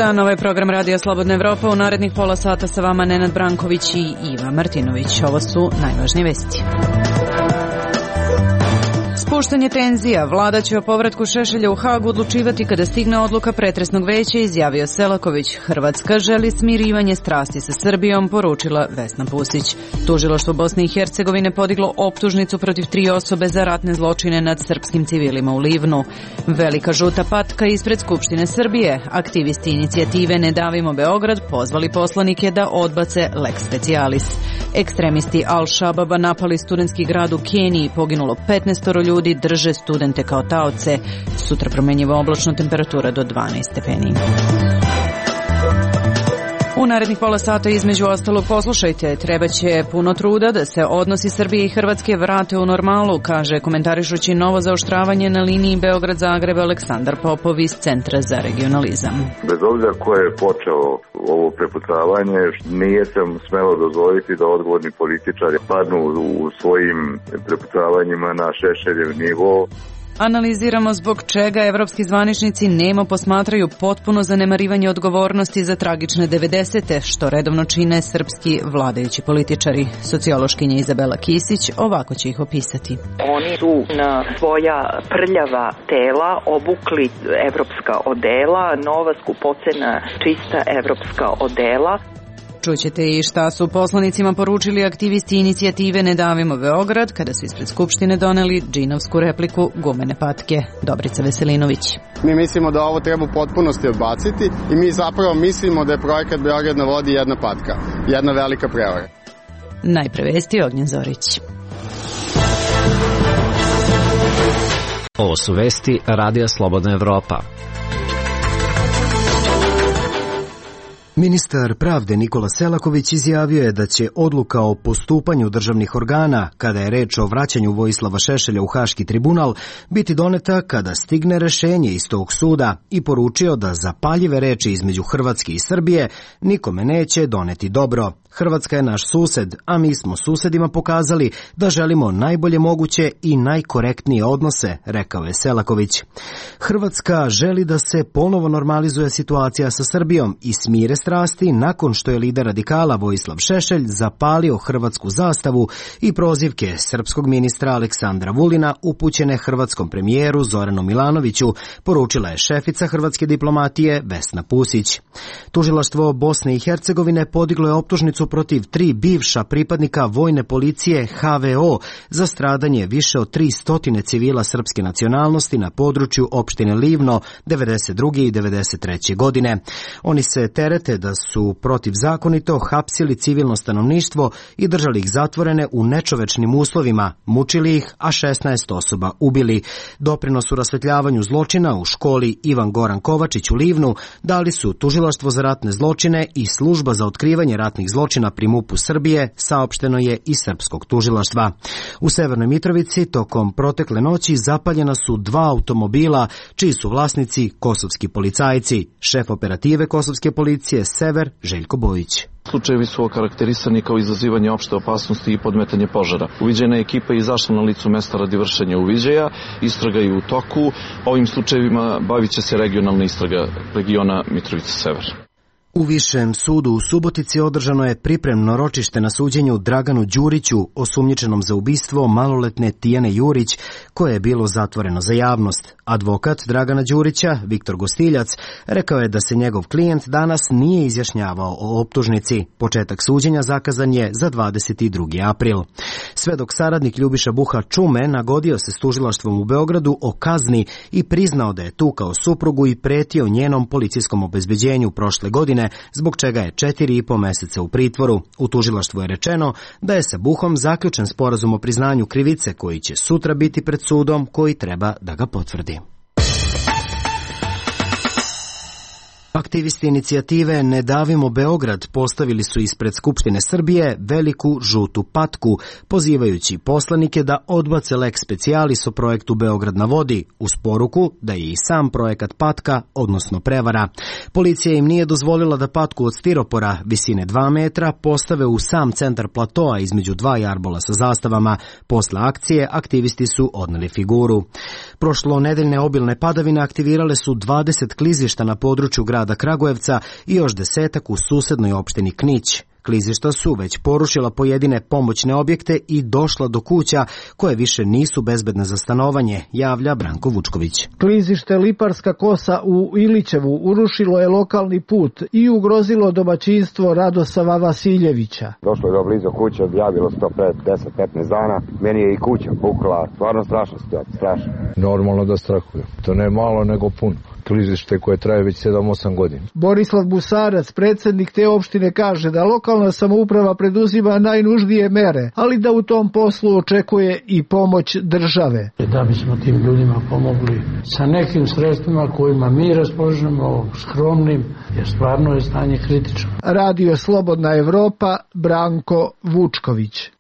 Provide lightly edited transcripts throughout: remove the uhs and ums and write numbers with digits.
dan, ovo je program Radija Slobodna Evropa. U narednih pola sata sa vama Nenad Branković i Iva Martinović. Ovo su najvažnije vesti. Spuštanje tenzija. Vlada će o povratku Šešelja u Hagu odlučivati kada stigne odluka pretresnog veća, izjavio Selaković. Hrvatska želi smirivanje strasti sa Srbijom, poručila Vesna Pusić. Tužilaštvo Bosne i Hercegovine podiglo optužnicu protiv 3 osobe za ratne zločine nad srpskim civilima u Livnu. Velika žuta patka ispred Skupštine Srbije. Aktivisti inicijative Ne davimo Beograd pozvali poslanike da odbace lex specialis. Ekstremisti Al-Shababa napali studentski grad u Keniji, poginulo 15 ljudi, drže studente kao taoce. Sutra promenjiva oblačno, temperatura do 12 stepeni. U narednih pola sata između ostalog poslušajte, trebaće puno truda da se odnosi Srbije i Hrvatske vrate u normalu, kaže komentarišući novo zaoštravanje na liniji Beograd-Zagreb Aleksandar Popov iz Centra za regionalizam. Bez obzira ko je počeo ovo prepucavanje, nije se smelo dozvoliti da odgovorni političari padnu u svojim prepucavanjima na Šešeljev nivo. Analiziramo zbog čega evropski zvaničnici nemo posmatraju potpuno zanemarivanje odgovornosti za tragične 90-te, što redovno čine srpski vladajući političari. Sociološkinja Izabela Kisić ovako će ih opisati. Oni su na svoja prljava tela obukli evropska odela, nova skupocena čista evropska odela. Čućete i šta su poslanicima poručili aktivisti inicijative Ne davimo Beograd kada su ispred Skupštine doneli džinovsku repliku gumene patke. Dobrica Veselinović. Mi mislimo da ovo treba u potpunosti odbaciti i mi zapravo mislimo da je projekat Beograd na vodi jedna patka, jedna velika prevara. Najpre vesti Ognjen Zorić. Ovo su vesti Radija Slobodna Evropa. Ministar pravde Nikola Selaković izjavio je da će odluka o postupanju državnih organa, kada je reč o vraćanju Vojislava Šešelja u Haški tribunal, biti doneta kada stigne rešenje iz tog suda i poručio da zapaljive reči između Hrvatske i Srbije nikome neće doneti dobro. Hrvatska je naš sused, a mi smo susedima pokazali da želimo najbolje moguće i najkorektnije odnose, rekao je Selaković. Hrvatska želi da se ponovo normalizuje situacija sa Srbijom i smire strasti nakon što je lider radikala Vojislav Šešelj zapalio hrvatsku zastavu i prozivke srpskog ministra Aleksandra Vulina upućene hrvatskom premijeru Zoranu Milanoviću, poručila je šefica hrvatske diplomatije Vesna Pusić. Tužilaštvo Bosne i Hercegovine podiglo je optužnicu protiv 3 bivša pripadnika vojne policije HVO za stradanje više od 300 civila srpske nacionalnosti na području opštine Livno 92. i 93. godine. Oni se terete da su protivzakonito hapsili civilno stanovništvo i držali ih zatvorene u nečovečnim uslovima, mučili ih, a 16 osoba ubili. Doprinos u rasvetljavanju zločina u školi Ivan Goran Kovačić u Livnu dali su Tužilaštvo za ratne zločine i Služba za otkrivanje ratnih zločina pri MUP-u Srbije, saopšteno je iz srpskog tužilaštva. U Severnoj Mitrovici tokom protekle noći zapaljena su 2 automobila, čiji su vlasnici kosovski policajci. Šef operative kosovske policije Sever Željko Bojić. Slučajevi su okarakterisani kao izazivanje opšte opasnosti i podmetanje požara. Uviđajna ekipa je izašla na licu mesta radi vršenja uviđaja, istraga je u toku. Ovim slučajevima bavit će se regionalna istraga regiona Mitrovica Sever. U Višem sudu u Subotici održano je pripremno ročište na suđenju Draganu Đuriću, osumnjičenom za ubistvo maloletne Tijane Jurić, koje je bilo zatvoreno za javnost. Advokat Dragana Đurića, Viktor Gostiljac, rekao je da se njegov klijent danas nije izjašnjavao o optužnici. Početak suđenja zakazan je za 22. april. Svedok saradnik Ljubiša Buha Čume nagodio se s tužilaštvom u Beogradu o kazni i priznao da je tukao suprugu i pretio njenom policijskom obezbeđenju prošle godine, zbog čega je 4,5 meseca u pritvoru. U tužilaštvu je rečeno da je sa Buhom zaključen sporazum o priznanju krivice koji će sutra biti pred sudom koji treba da ga potvrdi. Aktivisti inicijative Ne davimo Beograd postavili su ispred Skupštine Srbije veliku žutu patku, pozivajući poslanike da odbace lex specialis o projektu Beograd na vodi, uz poruku da je i sam projekat patka, odnosno prevara. Policija im nije dozvolila da patku od stiropora visine 2 metra postave u sam centar platoa između 2 jarbola sa zastavama. Posle akcije aktivisti su odneli figuru. Prošlo nedeljne obilne padavine aktivirale su 20 klizišta na području grada grada Kragujevca i još 10 u susednoj opštini Knić. Klizišta su već porušila pojedine pomoćne objekte i došla do kuća koje više nisu bezbedne za stanovanje, javlja Branko Vučković. Klizište Liparska kosa u Ilićevu urušilo je lokalni put i ugrozilo domaćinstvo Radosava Vasiljevića. Došlo je do blizu kuće, objavilo se to pred 10-15 dana. Meni je i kuća pukla, stvarno strašna situacija, strašno. Normalno da strahujem, to ne malo nego puno. Klizište koje traje već 7-8 godina. Borislav Busarac, predsjednik te opštine, kaže da lokalna samouprava preduzima najnužnije mere, ali da u tom poslu očekuje i pomoć države. Da bismo tim ljudima pomogli sa nekim sredstvima kojima mi raspolažemo, skromnim, jer stvarno je stanje kritično. Radio Slobodna Evropa, Branko Vučković.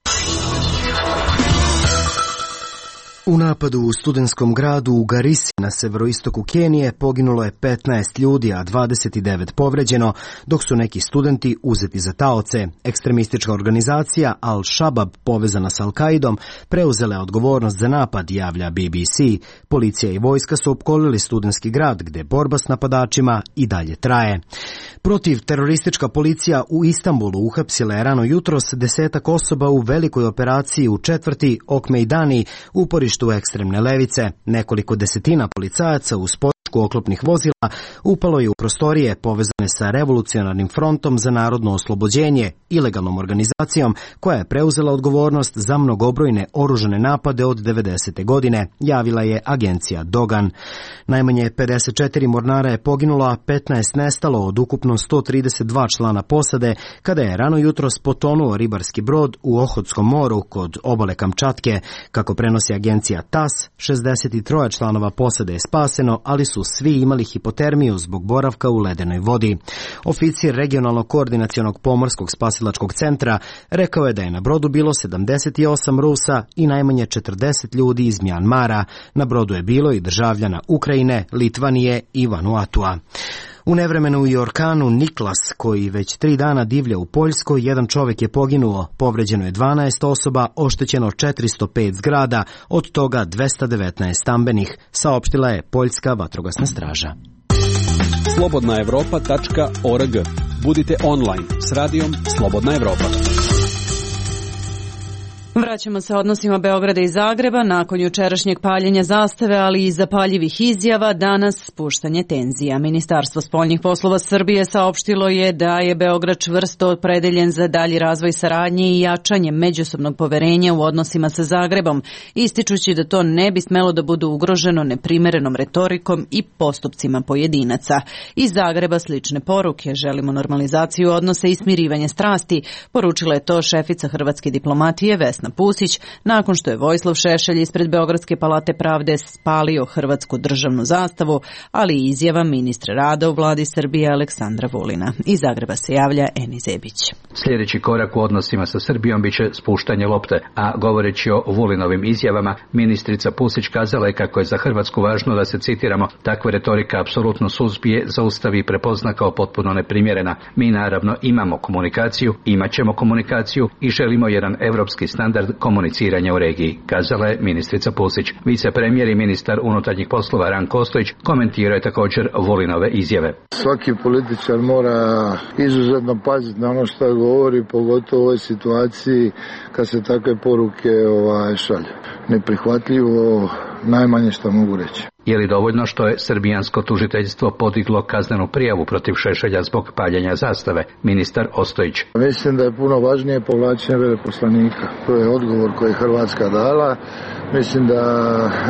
U napadu u studentskom gradu u Garisi na severoistoku Kenije poginulo je 15 ljudi, a 29 povređeno, dok su neki studenti uzeti za taoce. Ekstremistička organizacija Al-Shabaab, povezana s Al-Kaidom, preuzela je odgovornost za napad, javlja BBC. Policija i vojska su opkolili studentski grad, gde borba s napadačima i dalje traje. Protiv teroristička policija u Istanbulu uhapsila je rano jutros 10 osoba u velikoj operaciji u četvrti Okmejdani, uporištu ekstremne levice. Nekoliko desetina policajaca uz podršku oklopnih vozila upalo je u prostorije povezane sa Revolucionarnim frontom za narodno oslobođenje, ilegalnom organizacijom koja je preuzela odgovornost za mnogobrojne oružane napade od 90. godine, javila je agencija Dogan. Najmanje 54 mornara je poginulo, a 15 nestalo od ukupno 132 člana posade kada je rano jutros potonuo ribarski brod u Ohotskom moru kod obale Kamčatke. Kako prenosi agencija TAS, 63 članova posade je spaseno, ali su svi imali hipotermiju zbog boravka u ledenoj vodi. Oficir regionalnog koordinacionog pomorskog spasilačkog centra rekao je da je na brodu bilo 78 Rusa i najmanje 40 ljudi iz Mjanmara. Na brodu je bilo i državljana Ukrajine, Litvanije i Vanuatua. U nevremenu i orkanu Niklas, koji već 3 dana divlja u Poljskoj, jedan čovjek je poginuo, povređeno je 12 osoba, oštećeno 405 zgrada, od toga 219 stambenih, saopštila je Poljska vatrogasna straža. Slobodnaevropa.org. Budite online s radijom Slobodna Evropa. Vraćamo se odnosima Beograda i Zagreba. Nakon jučerašnjeg paljenja zastave, ali i zapaljivih izjava, danas spuštanje tenzija. Ministarstvo spoljnih poslova Srbije saopštilo je da je Beograd čvrsto opredeljen za dalji razvoj saradnje i jačanje međusobnog poverenja u odnosima sa Zagrebom, ističući da to ne bi smelo da bude ugroženo neprimerenom retorikom i postupcima pojedinaca. Iz Zagreba slične poruke: želimo normalizaciju odnosa i smirivanje strasti, poručila je to šefica hrvatske diplomatije Vesna Pusić, nakon što je Vojislav Šešelj ispred Beogradske palate pravde spalio hrvatsku državnu zastavu, ali i izjava ministra rada u vladi Srbije Aleksandra Vulina. Iz Zagreba se javlja Eni Zebić. Sljedeći korak u odnosima sa Srbijom biće spuštanje lopte, a govoreći o Vulinovim izjavama, ministrica Pusić kazala je kako je za Hrvatsku važno da se, citiramo, takva retorika apsolutno suzbije, zaustavi i prepozna kao potpuno neprimjerena. Mi naravno imamo komunikaciju, imat ćemo komunikaciju i želimo jedan evropski standard komuniciranja u regiji, kazala je ministrica Pusić. Vicepremijer i ministar unutarnjih poslova Ranko Ostojić komentirao je također Vulinove izjave. Svaki političar mora izuzetno paziti na ono što govori, pogotovo u ovoj situaciji kad se takve poruke šalju. Neprihvatljivo, najmanje što mogu reći. Je li dovoljno što je srbijansko tužiteljstvo podiglo kaznenu prijavu protiv Šešelja zbog paljenja zastave? Ministar Ostojić. Mislim da je puno važnije povlačenje veleposlanika. To je odgovor koji je Hrvatska dala. Mislim da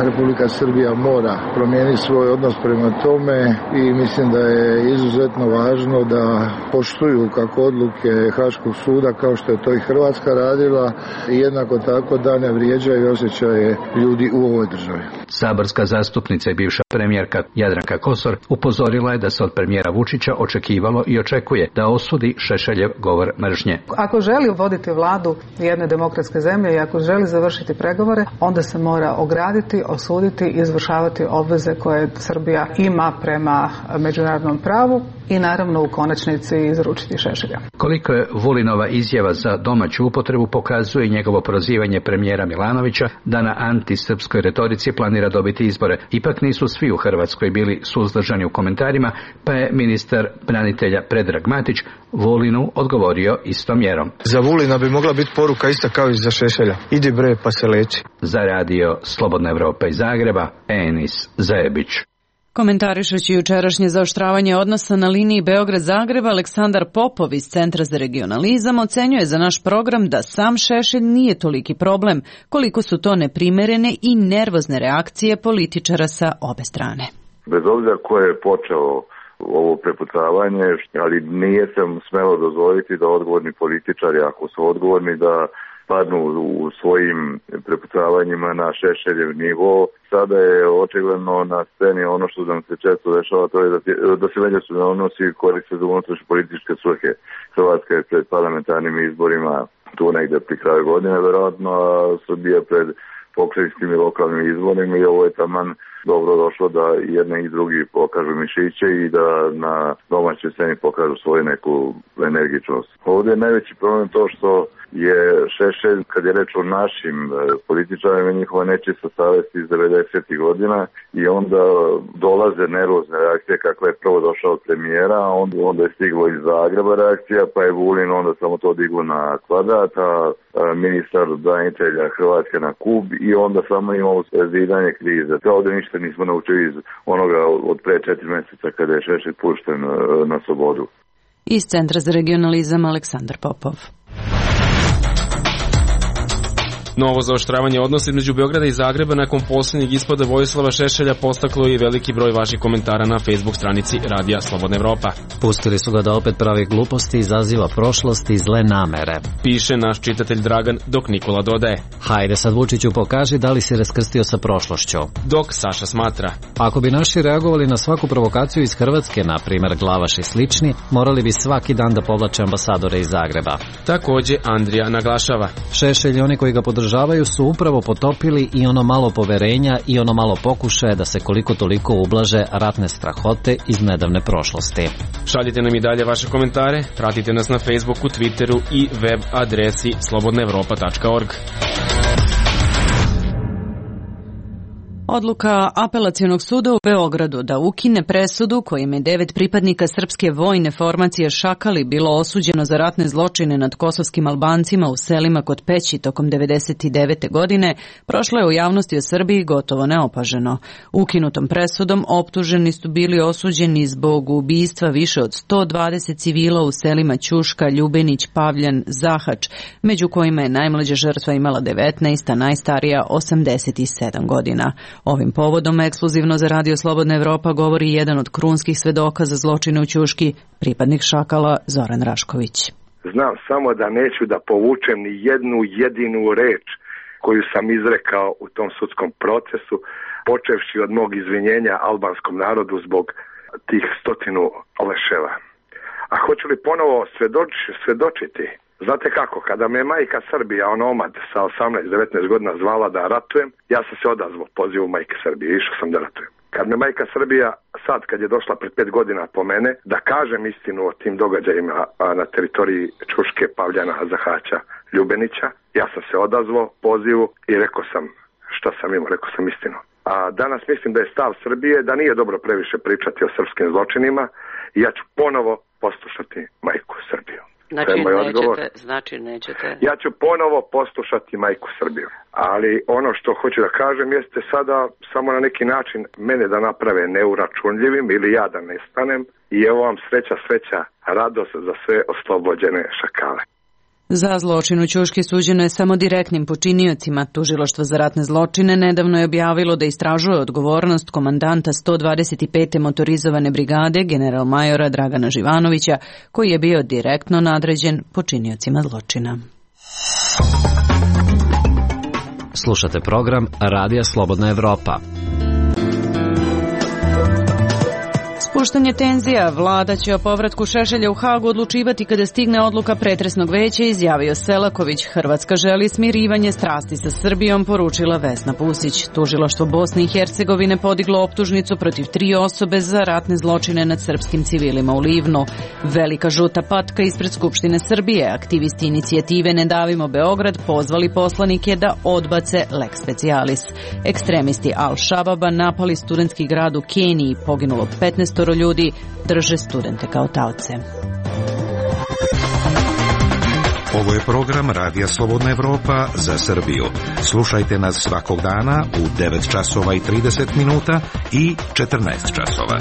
Republika Srbija mora promijeniti svoj odnos prema tome i mislim da je izuzetno važno da poštuju kako odluke Haškog suda, kao što je to i Hrvatska radila, i jednako tako da ne vrijeđaju osjećaje ljudi u ovoj državi. Saborska zastupnica i bivša premijerka Jadranka Kosor upozorila je da se od premijera Vučića očekivalo i očekuje da osudi Šešeljev govor mržnje. Ako želi voditi vladu jedne demokratske zemlje i ako želi završiti pregovore, onda se mora ograditi, osuditi i izvršavati obveze koje Srbija ima prema međunarodnom pravu i naravno u konačnici izručiti Šešelja. Koliko je Vulinova izjava za domaću upotrebu pokazuje njegovo prozivanje premijera Milanovića da na antisrpskoj retorici planira dobiti izbore. Ipak nisu svi u Hrvatskoj bili suzdržani u komentarima, pa je ministar branitelja Predrag Matić Vulinu odgovorio istom mjerom. Za Vulina bi mogla biti poruka ista kao i za Šešelja. Idi bre pa se leči. Za radio Slobodna Evropa iz Zagreba, Enis Zajebić. Komentarišući jučerašnje zaoštravanje odnosa na liniji Beograd-Zagreb, Aleksandar Popov iz Centra za regionalizam ocenjuje za naš program da sam Šešelj nije toliki problem, koliko su to neprimerene i nervozne reakcije političara sa obe strane. Bez obzira ko je počeo ovo prepucavanje, ali nije sam smelo dozvoliti da odgovorni političari, ako su odgovorni, da padnu u svojim prepucavanjima na Šešeljev nivo. Sada je očigledno na sceni ono što nam se često dešava, to je da se međusobno odnosi koriste za unutrašnje političke svrhe. Hrvatska je pred parlamentarnim izborima tu negde pri kraju godine, verovatno, a Srbija pred pokrajinskim i lokalnim izborima i ovo je taman dobro došlo da jedni i drugi pokažu mišiće i da na domaćoj sceni pokažu svoju neku energičnost. Ovdje je najveći problem to što je Šešelj, kad je reč o našim političarima, njihova nečista savjest iz 90. godina i onda dolaze nervozne reakcije kakva je prvo došao od premijera, a onda je stiglo iz Zagreba reakcija, pa je Vulin onda samo to diglo na kvadrat, a ministar branitelja Hrvatske na kub i onda samo imamo zidanje krize. To ovdje ništa nismo naučili iz onoga od pre 4 mjeseca kada je Šešelj pušten na slobodu. Iz Centra za regionalizam Aleksandar Popov. Novo zaoštravanje odnosa između Beograda i Zagreba nakon posljednjeg ispada Vojislava Šešelja postaklo je veliki broj vaših komentara na Facebook stranici Radija Slobodna Evropa. Pustili su ga da opet pravi gluposti, izaziva prošlost i zle namere. Piše naš čitatelj Dragan, dok Nikola dodaje: Hajde sad Vučiću pokaži da li si raskrstio sa prošlošću. Dok Saša smatra: Ako bi naši reagovali na svaku provokaciju iz Hrvatske, na primjer Glavaš i slični, morali bi svaki dan da povlače ambasadore iz Zagreba. Takođe Andrija naglašava: Šešelj i oni koji ga podržavaju su upravo potopili i ono malo poverenja i ono malo pokušaja da se koliko toliko ublaže ratne strahote iz nedavne prošlosti. Šaljite nam i dalje vaše komentare, pratite nas na Facebooku, Twitteru i web adresi slobodnaevropa.org. Odluka Apelacionog suda u Beogradu da ukine presudu kojim je 9 pripadnika srpske vojne formacije Šakali bilo osuđeno za ratne zločine nad kosovskim Albancima u selima kod Peći tokom 1999. godine prošla je u javnosti o Srbiji gotovo neopaženo. Ukinutom presudom optuženi su bili osuđeni zbog ubistva više od 120 civila u selima Ćuška, Ljubenić, Pavljan, Zahač, među kojima je najmlađa žrtva imala 19, a najstarija 87 godina. Ovim povodom ekskluzivno za Radio Slobodna Evropa govori jedan od krunskih svedoka za zločine u Ćuški, pripadnik Šakala Zoran Rašković. Znam samo da neću da povučem ni jednu jedinu reč koju sam izrekao u tom sudskom procesu, počevši od mog izvinjenja albanskom narodu zbog tih 100 leševa. A hoću li ponovo svedočiti? Znate kako, kada me majka Srbija, omad sa 18-19 godina zvala da ratujem, ja sam se odazvao pozivu majke Srbije, išao sam da ratujem. Kad me majka Srbija, sad kad je došla pred 5 godina po mene, da kažem istinu o tim događajima na teritoriji Ćuške, Pavljana, Zahaća, Ljubenića, ja sam se odazvao pozivu i rekao sam šta sam imao, rekao sam istinu. A danas mislim da je stav Srbije da nije dobro previše pričati o srpskim zločinima i ja ću ponovo poslušati majku Srbiju. Znači nećete. Ja ću ponovo poslušati majku Srbiju. Ali ono što hoću da kažem jeste sada samo na neki način mene da naprave neuračunljivim ili ja da nestanem i evo vam sreća, radost za sve oslobođene šakale. Za zločin u Ćuški suđeno je samo direktnim počiniocima. Tužilaštvo za ratne zločine nedavno je objavilo da istražuje odgovornost komandanta 125. motorizovane brigade general majora Dragana Živanovića, koji je bio direktno nadređen počiniocima zločina. Slušate program Radija Slobodna Evropa. spuštanje tenzija, vlada će o povratku Šešelja u Hagu odlučivati kada stigne odluka pretresnog veća, izjavio Selaković. Hrvatska želi smirivanje strasti sa Srbijom, poručila Vesna Pusić. Tužilaštvo Bosne i Hercegovine podiglo optužnicu protiv 3 osobe za ratne zločine nad srpskim civilima u Livnu. Velika žuta patka ispred Skupštine Srbije. Aktivisti inicijative Ne davimo Beograd pozvali poslanike da odbace lex specialis. Ekstremisti Al-Shababa napali studentski grad u Keniji, poginulo 15 ljudi, drže studente kao taoce. Ovo je program Radija Slobodna Evropa za Srbiju. Slušajte nas svakog dana u 9 časova i 30 minuta i 14 časova.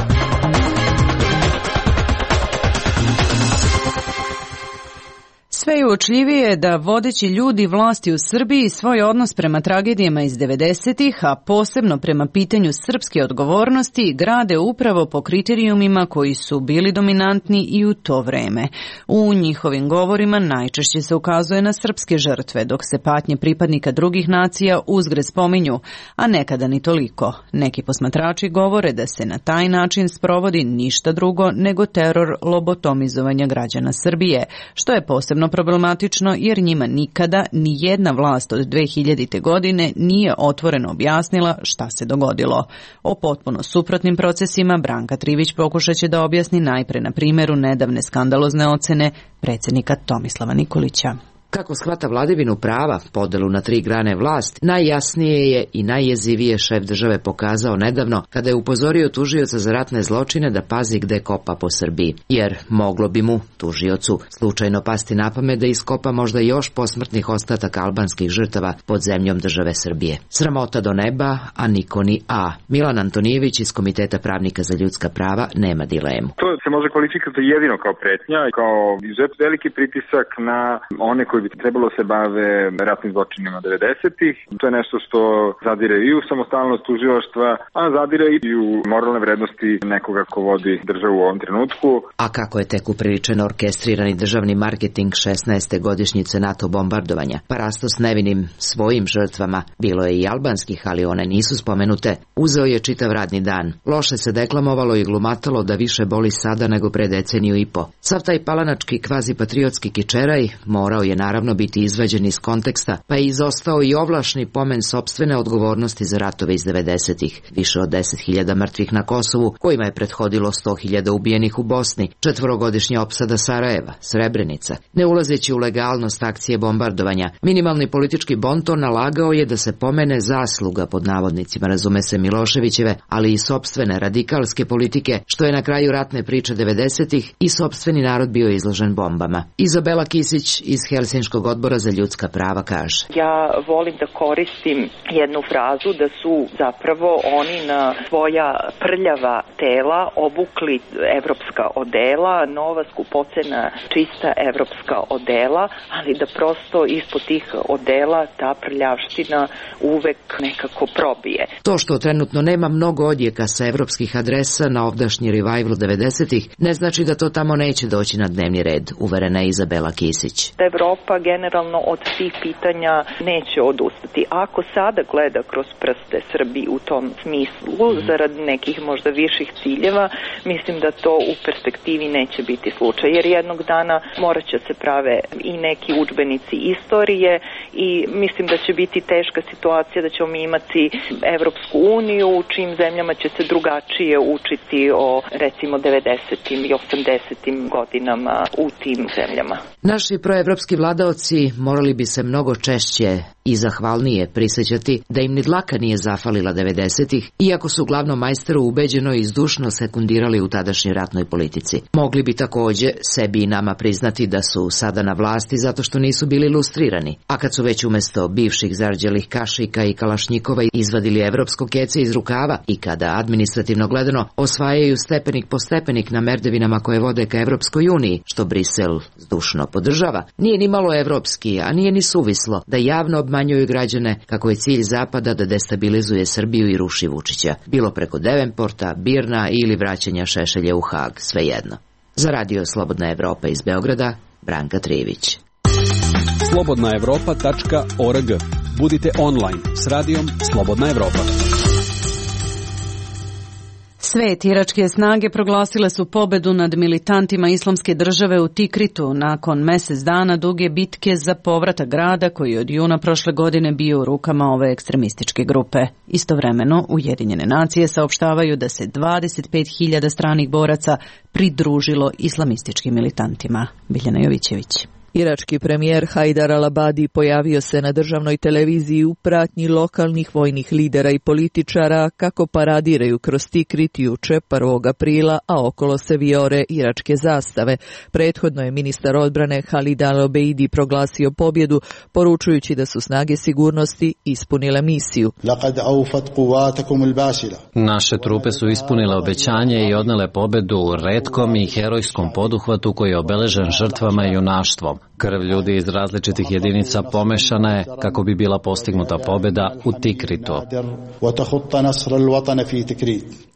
Sve je uočljivije da vodeći ljudi vlasti u Srbiji svoj odnos prema tragedijama iz 90-ih, a posebno prema pitanju srpske odgovornosti, grade upravo po kriterijumima koji su bili dominantni i u to vreme. U njihovim govorima najčešće se ukazuje na srpske žrtve, dok se patnje pripadnika drugih nacija uzgred spominju, a nekada ni toliko. Neki posmatrači govore da se na taj način sprovodi ništa drugo nego teror lobotomizovanja građana Srbije, što je posebno problematično jer njima nikada ni jedna vlast od 2000. godine nije otvoreno objasnila šta se dogodilo. O potpuno suprotnim procesima Branka Trivić pokušat će da objasni najpre na primjeru nedavne skandalozne ocene predsjednika Tomislava Nikolića. Kako shvata vladavinu prava, podelu na 3 grane vlast, najjasnije je i najjezivije šef države pokazao nedavno kada je upozorio tužioca za ratne zločine da pazi gde kopa po Srbiji. Jer moglo bi mu, tužiocu, slučajno pasti na pamet da iskopa možda još posmrtnih ostataka albanskih žrtava pod zemljom države Srbije. Sramota do neba, a niko ni a. Milan Antonijević iz Komiteta pravnika za ljudska prava nema dilemu. To se može kvalifikovati jedino kao pretnja, kao izuzetno veliki pritisak na one koji bi trebalo se bave ratnim zločinima 90-ih. To je nešto što zadire i u samostalnost tužilaštva, a zadire i u moralne vrednosti nekoga ko vodi državu u ovom trenutku. A kako je tek upriličen orkestrirani državni marketing 16. godišnjice NATO bombardovanja, pa rasto s nevinim svojim žrtvama, bilo je i albanskih, ali one nisu spomenute, uzeo je čitav radni dan. Loše se deklamovalo i glumatalo da više boli sada nego pre deceniju i po. Sav taj palanački kvazi-patriotski kičeraj morao je naravno biti izvađen iz konteksta, pa je izostao i ovlašni pomen sopstvene odgovornosti za ratove iz 90-ih, više od 10.000 mrtvih na Kosovu, kojima je prethodilo 100.000 ubijenih u Bosni, 4-godišnja opsada Sarajeva, Srebrenica. Ne ulazeći u legalnost akcije bombardovanja, minimalni politički bonton nalagao je da se pomene zasluga, pod navodnicima razume se Miloševićeve, ali i sopstvene radikalske politike, što je na kraju ratne priče 90-ih i sopstveni narod bio izložen bombama. Izabela Kisić iz Helsinškog odbora za ljudska prava kaže: Ja volim da koristim jednu frazu da su zapravo oni na svoja prljava tela obukli evropska odela, nova skupocena čista evropska odela, ali da prosto ispod tih odela ta prljavština uvek nekako probije. To što trenutno nema mnogo odjeka sa evropskih adresa na ovdašnji revival 90-ih, ne znači da to tamo neće doći na dnevni red, uverena je Izabela Kisić. Evropa generalno od tih pitanja neće odustati. Ako sada gleda kroz prste Srbiji u tom smislu, zarad nekih možda viših ciljeva, mislim da to u perspektivi neće biti slučaj. Jer jednog dana morat će se prave i neki udžbenici istorije i mislim da će biti teška situacija da ćemo imati Evropsku uniju u čim zemljama će se drugačije učiti o recimo 90. i 80. godinama u tim zemljama. Naši proevropski vladaoci morali bi se mnogo češće i zahvalnije prisjećati da im ni dlaka nije zafalila 90-ih, iako su glavnom majsteru ubeđeno i zdušno sekundirali u tadašnjoj ratnoj politici. Mogli bi također sebi i nama priznati da su sada na vlasti zato što nisu bili lustrirani, a kad su već umjesto bivših zarđelih kašika i kalašnjikova izvadili evropsko kece iz rukava i kada administrativno gledano osvajaju stepenik po stepenik na merdevinama koje vode ka Evropskoj uniji, što Brisel zdušno podržava, nije ni malo evropski, a nije ni suvislo da javno obmanjuju građane kako je cilj Zapada da destabilizuje Srbiju i ruši Vučića, bilo preko Devenporta, Birna ili vraćanja Šešelja u Hag, svejedno. Za Radio Slobodna Evropa iz Beograda, Branka Trivić. slobodnaevropa.org. Budite online s radijom Slobodna Evropa. Svet, iračke snage proglasile su pobedu nad militantima Islamske države u Tikritu nakon mesec dana duge bitke za povratak grada koji je od juna prošle godine bio u rukama ove ekstremističke grupe. Istovremeno, Ujedinjene nacije saopštavaju da se 25.000 stranih boraca pridružilo islamističkim militantima. Biljana Jovićević. Irački premijer Hajdar al-Abadi pojavio se na državnoj televiziji u pratnji lokalnih vojnih lidera i političara kako paradiraju kroz Tikrit juče 1. aprila, a okolo se vijore iračke zastave. Prethodno je ministar odbrane Halid al-Obeidi proglasio pobjedu, poručujući da su snage sigurnosti ispunile misiju. Naše trupe su ispunile obećanje i odnele pobedu u retkom i herojskom poduhvatu koji je obeležen žrtvama i junaštvom. Krv ljudi iz različitih jedinica pomešana je kako bi bila postignuta pobjeda u Tikritu.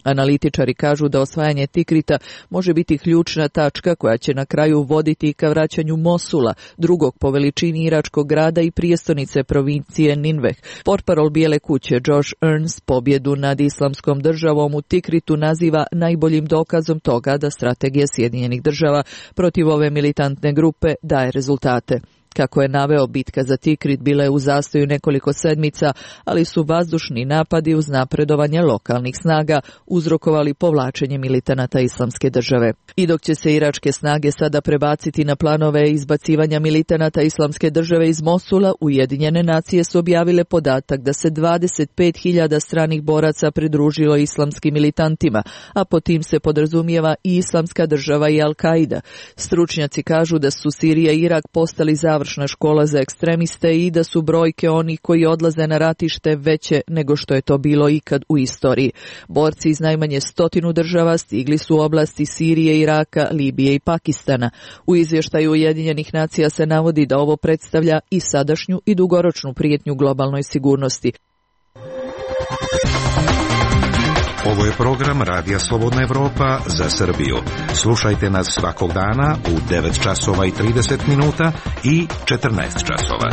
Analitičari kažu da osvajanje Tikrita može biti ključna tačka koja će na kraju voditi ka vraćanju Mosula, drugog po veličini iračkog grada i prijestolnice provincije Ninveh. Portparol Bijele kuće Josh Ernst pobjedu nad Islamskom državom u Tikritu naziva najboljim dokazom toga da strategija Sjedinjenih država protiv ove militantne grupe daje rezultate. Kako je naveo, bitka za Tikrit bila je u zastoju nekoliko sedmica, ali su vazdušni napadi uz napredovanje lokalnih snaga uzrokovali povlačenje militanata Islamske države. I dok će se iračke snage sada prebaciti na planove izbacivanja militanata Islamske države iz Mosula, Ujedinjene nacije su objavile podatak da se 25.000 stranih boraca pridružilo islamskim militantima, a po tim se podrazumijeva i Islamska država i Al-Qaida. Stručnjaci kažu da su Sirija i Irak postali završna škola za ekstremiste i da su brojke onih koji odlaze na ratište veće nego što je to bilo ikad u istoriji. Borci iz najmanje 100 država stigli su u oblasti Sirije, Iraka, Libije i Pakistana. U izvještaju Ujedinjenih nacija se navodi da ovo predstavlja i sadašnju i dugoročnu prijetnju globalnoj sigurnosti. Ovo je program Radija Slobodna Evropa za Srbiju. Slušajte nas svakog dana u 9 časova i 30 minuta i 14 časova.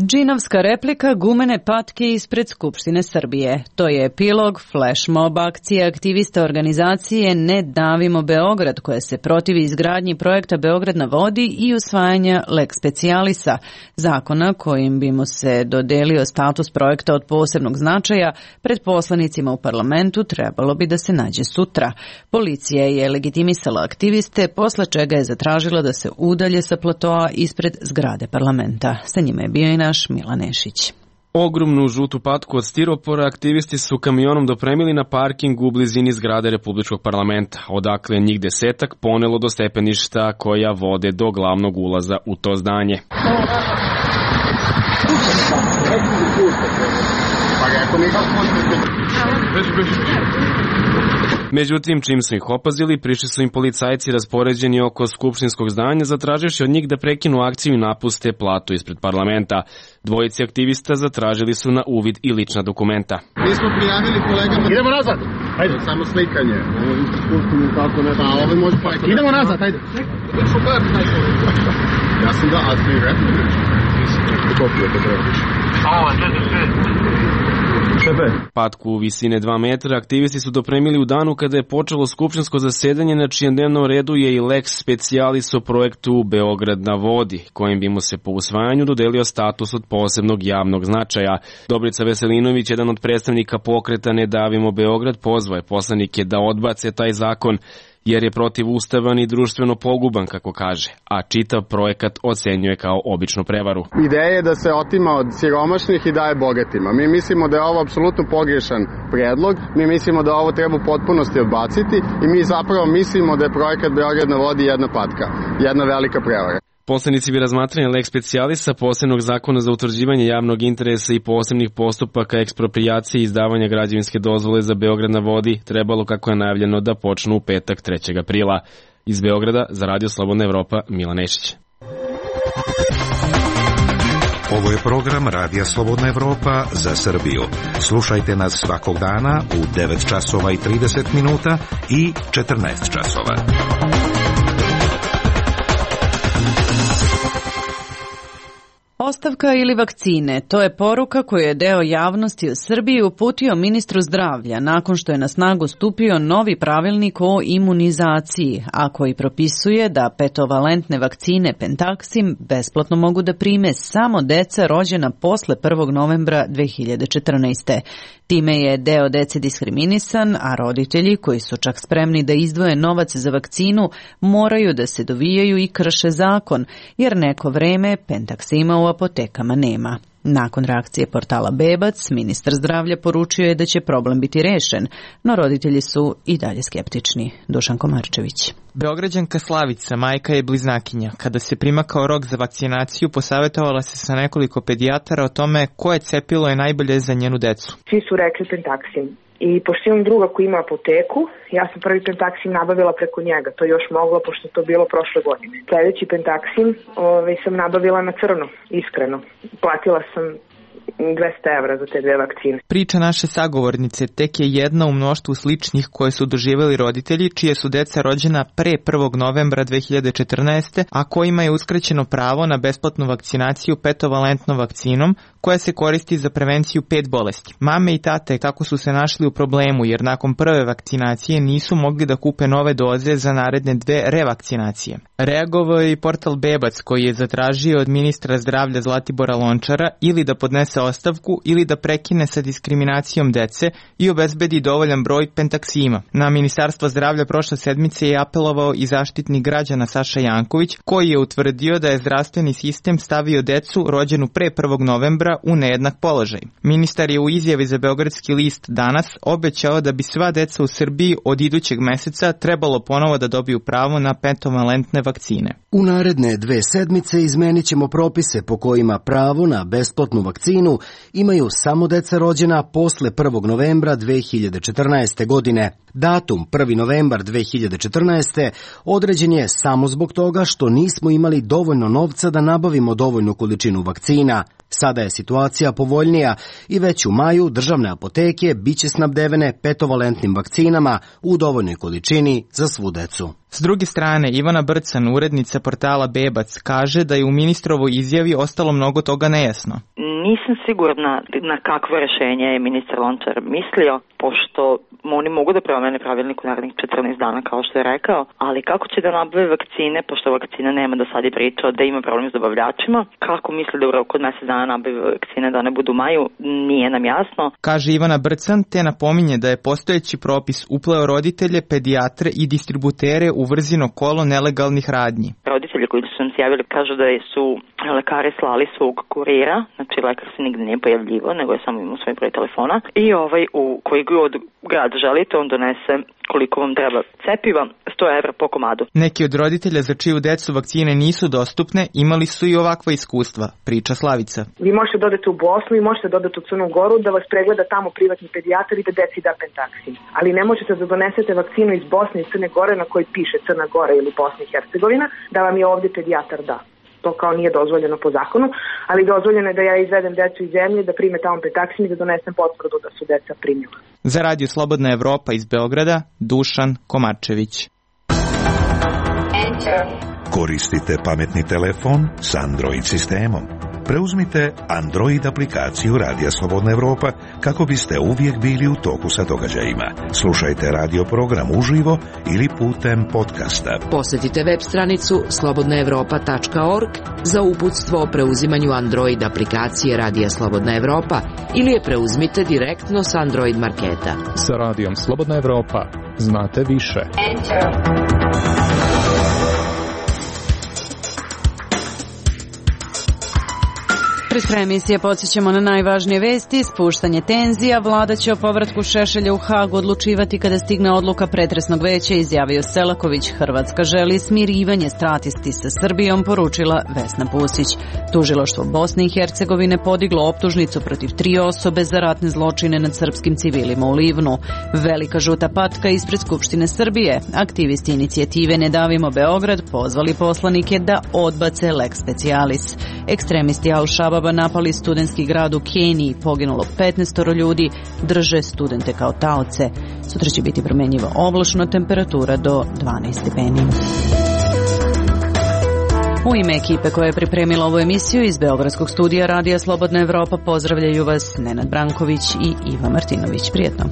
Džinovska replika gumene patke ispred Skupštine Srbije. To je epilog flash mob akcije aktivista organizacije Ne davimo Beograd, koja se protivi izgradnji projekta Beograd na vodi i usvajanja lex specialisa, zakona kojim bi mu se dodelio status projekta od posebnog značaja. Pred poslanicima u parlamentu trebalo bi da se nađe sutra. Policija je legitimisala aktiviste, posle čega je zatražila da se udalje sa platoa ispred zgrade parlamenta. Sa njima je bio i naš Milan Nešić. Ogromnu žutu patku od stiropora aktivisti su kamionom dopremili na parking u blizini zgrade Republičkog parlamenta, odakle njih 10 ponelo do stepeništa koja vode do glavnog ulaza u to zdanje. Međutim, čim su ih opazili, prišli su im policajci raspoređeni oko skupštinskog zdanja, zatraživši od njih da prekinu akciju i napuste platu ispred parlamenta. Dvojici aktivista zatražili su na uvid i lična dokumenta. Mi smo prijavili kolegama... Idemo nazad! Ajde. Samo slikanje. Idemo nazad, ajde. Ja sam da, a ti rekli? Kopiju to trebaš. Patku visine 2 metra aktivisti su dopremili u danu kada je počelo skupštinsko zasedanje, na čijem dnevnom redu je i lex specialis o projektu Beograd na vodi, kojim bi mu se po usvajanju dodelio status od posebnog javnog značaja. Dobrica Veselinović, jedan od predstavnika pokreta Ne davimo Beograd, pozvao je poslanike da odbace taj zakon, jer je protivustavan i društveno poguban, kako kaže, a čitav projekat ocenjuje kao običnu prevaru. Ideja je da se otima od siromašnih i daje bogatima. Mi mislimo da je ovo apsolutno pogrešan predlog, mi mislimo da ovo treba u potpunosti odbaciti i mi zapravo mislimo da je projekat Beograd na vodi jedna patka, jedna velika prevara. Poslanici bi razmatranje lex specialisa, posebnog zakona za utvrđivanje javnog interesa i posebnih postupaka eksproprijacije i izdavanja građevinske dozvole za Beograd na vodi trebalo, kako je najavljeno, da počnu u petak 3. aprila. Iz Beograda za Radio Slobodna Evropa, Milan Nešić. Ovo je program Radija Slobodna Evropa za Srbiju. Slušajte nas svakog dana u 9 časova i 30 minuta i 14 časova. Ostavka ili vakcine, to je poruka koju je deo javnosti u Srbiji uputio ministru zdravlja nakon što je na snagu stupio novi pravilnik o imunizaciji, a koji propisuje da petovalentne vakcine Pentaxim besplatno mogu da prime samo deca rođena posle 1. novembra 2014. Time je deo dece diskriminisan, a roditelji koji su čak spremni da izdvoje novac za vakcinu moraju da se dovijaju i krše zakon, jer neko vreme Pentaxima u apotekama nema. Nakon reakcije portala Bebac, ministar zdravlja poručio je da će problem biti rešen, no roditelji su i dalje skeptični. Dušan Komarčević. Beograđanka Slavica, majka je bliznakinja. Kada se primakao rok za vakcinaciju, posavetovala se sa nekoliko pedijatara o tome koje cepilo je najbolje za njenu decu. Svi su rekli Pentaxim. I pošto imam druga koji ima apoteku, ja sam prvi Pentaxim nabavila preko njega. To još moglo, pošto to bilo prošle godine. Sljedeći Pentaxim sam nabavila na crno, iskreno. Platila sam 200 evra za te dve vakcine. Priča naše sagovornice tek je jedna u mnoštvu sličnih koje su doživjeli roditelji čije su deca rođena pre 1. novembra 2014. a kojima je uskraćeno pravo na besplatnu vakcinaciju petovalentnom vakcinom koja se koristi za prevenciju 5 bolesti. Mame i tate tako su se našli u problemu jer nakon prve vakcinacije nisu mogli da kupe nove doze za naredne 2 revakcinacije. Reagovao je i portal Bebac koji je zatražio od ministra zdravlja Zlatibora Lončara ili da podnese ostavku ili da prekine sa diskriminacijom dece i obezbedi dovoljan broj Pentaxima. Na Ministarstvo zdravlja prošle sedmice je apelovao i zaštitnik građana Saša Janković koji je utvrdio da je zdravstveni sistem stavio decu rođenu pre 1. novembra u nejednak položaj. Ministar je u izjavi za Beogradski list Danas obećao da bi sva deca u Srbiji od idućeg meseca trebalo ponovo da dobiju pravo na petovalentne vakcine. U naredne 2 sedmice izmenit ćemo propise po kojima pravo na besplatnu vakcinu imaju samo deca rođena posle 1. novembra 2014. godine. Datum 1. novembar 2014. određen je samo zbog toga što nismo imali dovoljno novca da nabavimo dovoljnu količinu vakcina. Sada je situacija povoljnija i već u maju državne apoteke biće snabdevene petovalentnim vakcinama u dovoljnoj količini za svu decu. S druge strane, Ivana Brcan, urednica portala Bebac, kaže da je u ministrovoj izjavi ostalo mnogo toga nejasno. Nisam sigurna na kakvo rešenje je ministar Lončar mislio, pošto oni mogu da promene pravilnik u narednih 14 dana, kao što je rekao, ali kako će da nabave vakcine, pošto vakcina nema, do sad je pričao da ima problem s dobavljačima, kako misli da u roku od mesec dana nabave vakcine da ne budu u maju, nije nam jasno. Kaže Ivana Brcan, te napominje da je postojeći propis upleo roditelje, pedijatre i distributere u vrzino kolo nelegalnih radnji. Roditelji koji su nam se javili kažu da su lekari slali svog kurira, znači lekar se nigde nije pojavljivo, nego je samo imao svoj broj telefona i u koji god grad želite, on donese koliko vam treba cepiva, 100 evra po komadu. Neki od roditelja za čiju decu vakcine nisu dostupne imali su i ovakva iskustva, priča Slavica. Vi možete dodati u Bosnu i možete dodati u Crnu Goru da vas pregleda tamo privatni pedijatar i da deci da Pentaxim. Ali ne možete da donesete vakcinu iz Bosne i Crne Gore na kojoj piše Crna Gora ili Bosna i Hercegovina, da vam je ovdje pedijatar da. To kao nije dozvoljeno po zakonu, ali dozvoljeno je da ja izvedem decu iz zemlje, da prime tamo Pentaxim i da donesem potvrdu da su deca primila. Za Radio Slobodna Evropa iz Beograda, Dušan Komarčević. Koristite pametni telefon s Android sistemom. Preuzmite Android aplikaciju Radija Slobodna Evropa kako biste uvijek bili u toku sa događajima. Slušajte radio program uživo ili putem podcasta. Posjetite web stranicu slobodnaevropa.org za uputstvo o preuzimanju Android aplikacije Radija Slobodna Evropa ili je preuzmite direktno s Android marketa. Sa Radijom Slobodna Evropa znate više. Pred krajem emisije podsjećamo na najvažnije vesti. Spuštanje tenzija, vlada će o povratku Šešelja u Hagu odlučivati kada stigne odluka pretresnog veća, izjavio Selaković. Hrvatska želi smirivanje stratisti sa Srbijom, poručila Vesna Pusić. Tužilaštvo Bosne i Hercegovine podiglo optužnicu protiv 3 osobe za ratne zločine nad srpskim civilima u Livnu. Velika žuta patka ispred Skupštine Srbije. Aktivisti inicijative Ne davimo Beograd pozvali poslanike da odbace lex specialis. Ekstremisti Al-Shababa napali studentski grad u Keniji, poginulo 15 ljudi, drže studente kao taoce. Sutra će biti promenjiva oblačno, temperatura do 12 stepeni. U ime ekipe koja je pripremila ovu emisiju iz Beogradskog studija Radija Slobodna Evropa pozdravljaju vas Nenad Branković i Iva Martinović. Prijetno.